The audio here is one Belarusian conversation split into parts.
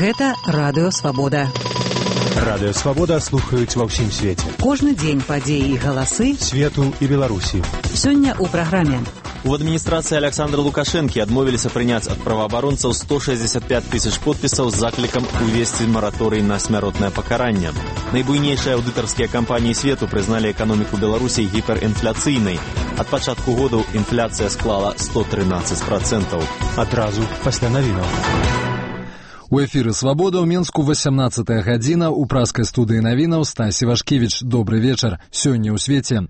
Гэта Радыё Свабода. Радыё Свабода слухаюць ва ўсім свеце. Кожны дзень падзеі і галасы свету і Беларусі. Сёння ў праграме. У адміністрацыі Александра Лукашэнкі адмовіліся прыняць ад праваабаронцаў 165 тысяч подпісаў з заклікам увесці мараторый на смяротнае пакаранне. Найбуйнейшыя аўдытарскія кампаніі свету прызналі эканоміку Беларусі гіперінфляцыйнай. Ад пачатку году інфляцыя склала 113%. Адразу пасля навінаў. У эфіры «Свабода» ў Менску 18-я гадзіна. У праскай студыі навінаў Стась Івашкевіч. Добры вечар. Сёння ў свеце.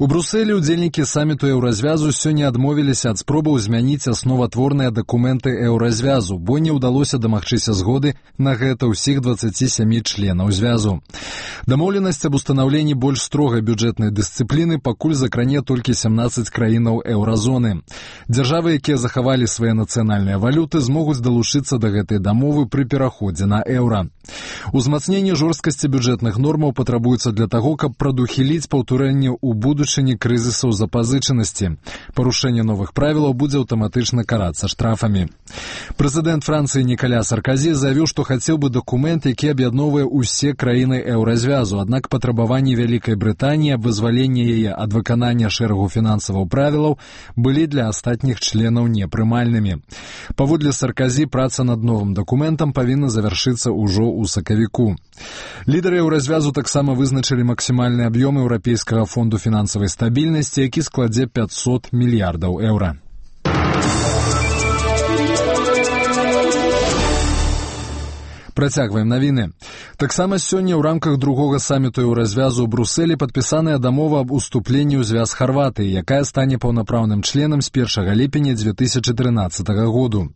У Брусэлі ўдзельнікі саміту еўразвязу сёння адмовіліся ад спробаў змяніць асноватворныя дакументы еўразвязу, бо не ўдалося дамагчыся згоды на гэта ўсіх 27 членаў звязу. Дамоўленасць аб устанаўленні больш строгай бюджэтнай дысцыпліны пакуль закране толькі 17 краінаў еўразоны. Дзяржавы, якія захавалі свае нацыянальныя валюты, змогуць далучыцца да гэтай дамовы пры пераходзе на еўра. Узмацненне жорсткасці бюджэтных нормаў патрабуецца для таго, каб прадухіліць паўтарэнне ў будучыні крызісаў запазычанасці. Парушэнне новых правілаў будзе аўтаматычна карацца штрафамі. Прэзідэнт Францыі Нікаля Сарказі заявіў, што хацеў бы дакумент, які аб'ядноўвае ўсе краіны еўразвязу, аднак патрабаванні Вялікай Брытаніі аб вызваленні яе ад выканання шэрагу фінансавых правілаў былі для астатніх членаў непрымальнымі. Паводле Сарказі, праца над новым дакументам павінна завяршыцца ўжо ў сакавіку. Лідары еўразвязу таксама вызначылі максімальны аб'ём Еўрапейскага фонду фінансавай стабільнасці, які складзе 500 мільярдаў еўра. Працягваем навіны. Таксама сёння ў рамках другога саміту еўразвязу ў Брусэлі падпісаная дамова аб уступленні ў звяз Харватыі, якая стане паўнапраўным членам з 1 ліпеня 2013 году.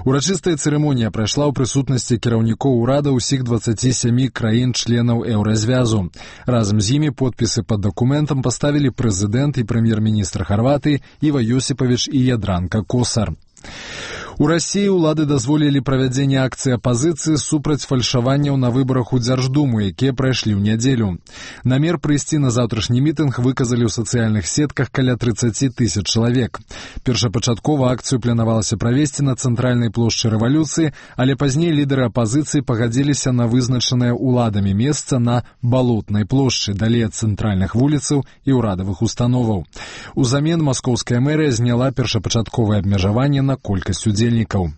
Урачыстая цырымонія прайшла ў прысутнасці кіраўнікоў урада ўсіх 27 краін-членаў еўразвязу. Разам з імі подпісы пад дакументам паставілі прэзідэнт і прэм'ер-міністр Харватыі Іва Ёсіпавіч і Ядранка Косар. У Расіі ўлады дазволілі правядзенне акцыі апазіцыі супраць фальшаванняў на выбарах у Дзярждуму, якія прайшлі ў нядзелю. Намер прыйсці на заўтрашні мітынг выказалі ў сацыяльных сетках каля 30 тысяч чалавек. Першапачаткова акцыю планавалася правесці на цэнтральнай плошчы рэвалюцыі, але пазней лідары апазіцыі пагадзіліся на вызначанае ўладамі месца на Балотнай плошчы, далей ад цэнтральных вуліцаў і ўрадавых установаў. Узамен маскоўская мэрыя зняла першапачатковае абмежаванне на колькасць удзельнікаў.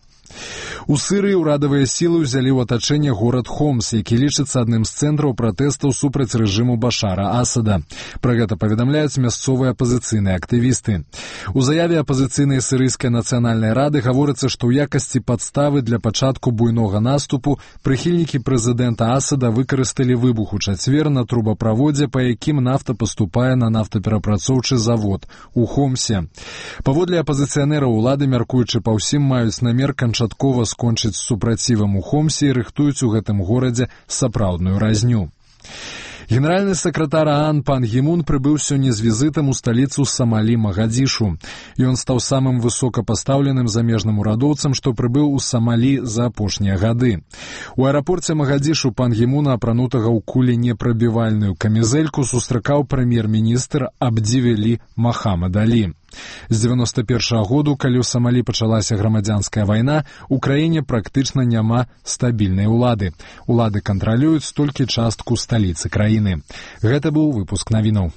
У Сырыі ўрадавыя сілы ўзялі ў атачэнне горад Хомс, які лічыцца адным з цэнтраў пратэстаў супраць рэжыму Башара Асада. Пра гэта паведамляюць мясцовыя апазіцыйныя актывісты. У заяве апазіцыйнай сірыйскай нацыянальнай рады гаворыцца, што ў якасці падставы для пачатку буйнога наступу прыхільнікі прэзідэнта Асада выкарысталі выбух у чацвер на трубаправодзе, па якім нафта паступае на нафтаперапрацоўчы завод у Хомсе. Паводле апазіцыянераў улады, мяркуючы па ўсім, маюць намер канчаткова скончыць з супрацівам у Хомсе і рыхтуюць у гэтым горадзе сапраўдную разню. Генеральны сакратар ААН пан Гі Мун прыбыў сёння з візітам у сталіцу Самалі Магадзішу. Ён стаў самым высокапастаўленым замежным урадоўцам, што прыбыў у Самалі за апошнія гады. У аэрапорце Магадзішу пан Гі Муна, апранутага ў куленепрабівальную камізэльку, сустракаў прэм'ер-міністр Абдзівелі Махамад Алі. З 91-го году, калі ў Самалі пачалася грамадзянская вайна, у краіне практычна няма стабільнай улады. Улады кантралююць толькі частку сталіцы краіны. Гэта быў выпуск навінаў.